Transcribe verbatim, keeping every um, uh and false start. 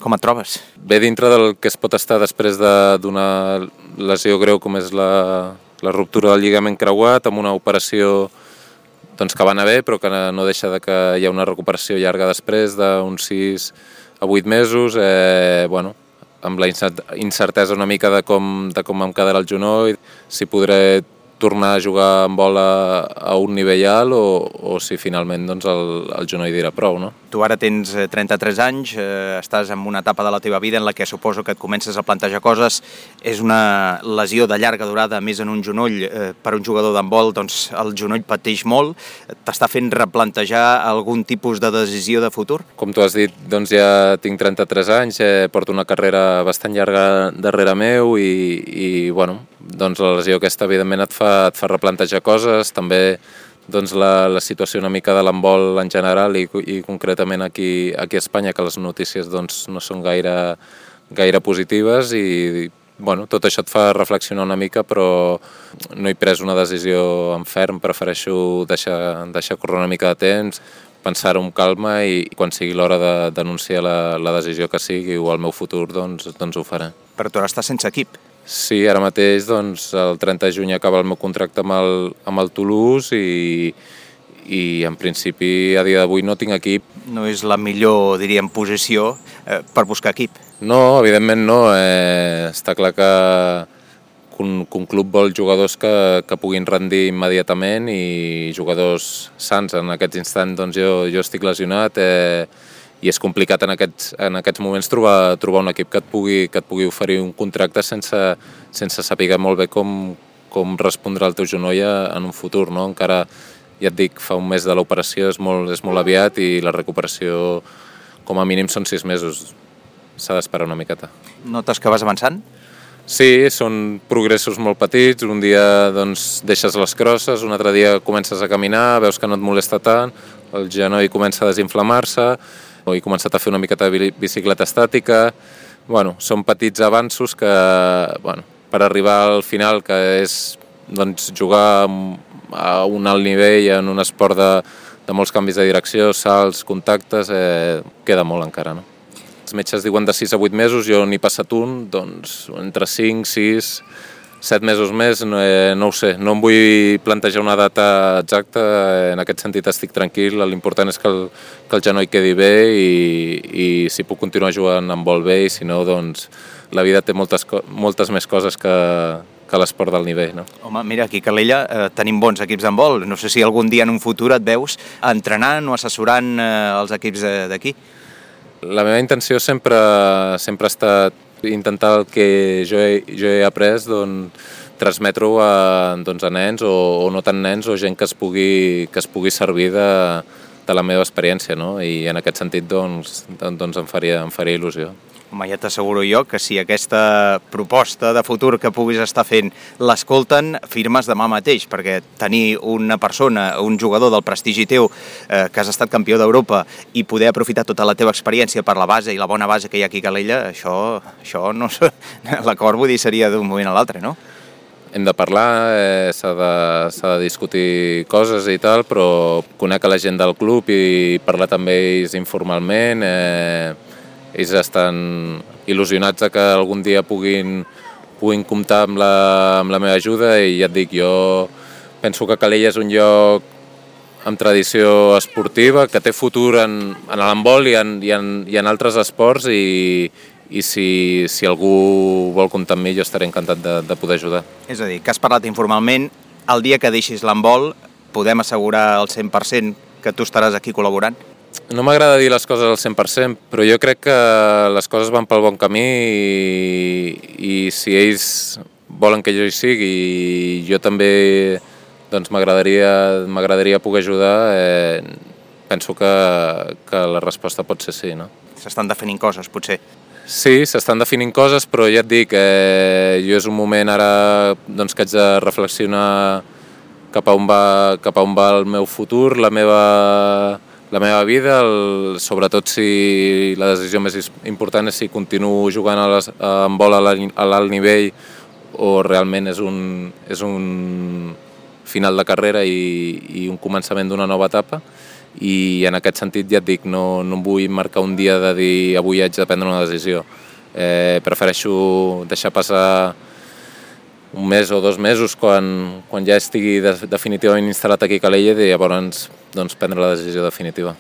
Com et trobes? Bé dintre del que es pot estar després d'una lesió greu com és la, la ruptura del lligament creuat, amb una operació doncs, que va anar bé, però que no deixa de que hi ha una recuperació llarga després d'uns sis a vuit mesos, eh, bueno, amb la incertesa una mica de com, de com em quedarà el genoll, si podré tornar a jugar amb bola a un nivell alt o, o si finalment doncs, el, el genoll dirà prou, no? Tu ara tens trenta-tres anys, eh, estàs en una etapa de la teva vida en la que suposo que et comences a plantejar coses. És una lesió de llarga durada, més en un genoll. Eh, per un jugador d'handbol, doncs, el genoll pateix molt. T'està fent replantejar algun tipus de decisió de futur? Com tu has dit, doncs ja tinc trenta-tres anys, eh, porto una carrera bastant llarga darrere meu i, i bueno, doncs la lesió aquesta evidentment et fa, et fa replantejar coses, també doncs la, la situació una mica de l'handbol en general i, i concretament aquí, aquí a Espanya, que les notícies doncs, no són gaire, gaire positives i bueno, tot això et fa reflexionar una mica, però no he pres una decisió en ferm, prefereixo deixar, deixar córrer una mica de temps, pensar-ho amb calma i quan sigui l'hora de denunciar la, la decisió que sigui o el meu futur, doncs, doncs ho faré. Però tu ara estàs sense equip. Sí, ara mateix doncs, el trenta de juny acaba el meu contracte amb el, amb el Toulouse i, i en principi a dia d'avui no tinc equip. No és la millor, diríem, posició eh, per buscar equip. No, evidentment no. Eh, està clar que, que, un, que un club vol jugadors que, que puguin rendir immediatament i jugadors sants. En aquests instants doncs, jo, jo estic lesionat eh, i és complicat en aquests, en aquests moments trobar, trobar un equip que et pugui, que et pugui oferir un contracte sense, sense saber molt bé com, com respondrà el teu genoll en un futur, no? Encara, ja et dic, fa un mes de l'operació, és molt, és molt aviat i la recuperació com a mínim són sis mesos. S'ha d'esperar una miqueta. Notes que vas avançant? Sí, són progressos molt petits. Un dia doncs, deixes les crosses, un altre dia comences a caminar, veus que no et molesta tant, el genoll comença a desinflamar-se, he començat a fer una miqueta de bicicleta estàtica. Bueno, són petits avanços que, bueno, per arribar al final, que és doncs, jugar a un alt nivell en un esport de, de molts canvis de direcció, salts, contactes, eh, queda molt encara, no? Els metges diuen de sis a vuit mesos, jo n'he passat un, doncs entre cinc, sis, set mesos més, no, eh, no ho sé, no em vull plantejar una data exacta, en aquest sentit estic tranquil, l'important és que el, que el genoll quedi bé i, i si puc continuar jugant amb vol bé i si no, doncs la vida té moltes, moltes més coses que, que l'esport del nivell, no? Home, mira, aquí a Calella eh, tenim bons equips d'handbol, no sé si algun dia en un futur et veus entrenant o assessorant eh, els equips d'aquí. La meva intenció sempre, sempre ha estat intentar el que jo he, jo he après, doncs, transmetre-ho a, doncs, a nens o, o no tan nens o gent que es pugui, que es pugui servir de, de la meva experiència, no? I en aquest sentit doncs, doncs em, faria, em faria il·lusió. Home, ja t'asseguro jo que si aquesta proposta de futur que puguis estar fent l'escolten, firmes demà mateix, perquè tenir una persona, un jugador del prestigi teu, eh, que has estat campió d'Europa i poder aprofitar tota la teva experiència per la base i la bona base que hi ha aquí a Calella, això, això no, l'acord vull dir seria d'un moment a l'altre, no? Hem de parlar, eh, s'ha de, s'ha de discutir coses i tal, però conec a la gent del club i parlar també ells informalment, eh, ells estan il·lusionats que algun dia puguin, puguin comptar amb la, amb la meva ajuda i ja et dic, jo penso que Calella és un lloc amb tradició esportiva, que té futur en, en l'handbol i, en, i, en, i en altres esports i, i si, si algú vol comptar amb mi jo estaré encantat de, de poder ajudar. És a dir, que has parlat informalment, el dia que deixis l'handbol podem assegurar al cent per cent que tu estaràs aquí col·laborant? No m'agrada dir les coses al cent per cent, però jo crec que les coses van pel bon camí i, i si ells volen que jo hi sigui i jo també doncs, m'agradaria m'agradaria poder ajudar, eh, penso que, que la resposta pot ser sí, no? S'estan definint coses, potser. Sí, s'estan definint coses, però ja et dic, eh, jo és un moment ara doncs, que haig de reflexionar cap a on va, cap a on va el meu futur, la meva... la meva vida, el, sobretot si la decisió més important és si continuo jugant a les, a, amb bola a l'alt nivell o realment és un, és un final de carrera i, i un començament d'una nova etapa i en aquest sentit ja et dic, no, no em vull marcar un dia de dir avui haig de prendre una decisió. Eh, prefereixo deixar passar un mes o dos mesos quan, quan ja estigui de, definitivament instal·lat aquí a Calella i llavors doncs, prendre la decisió definitiva.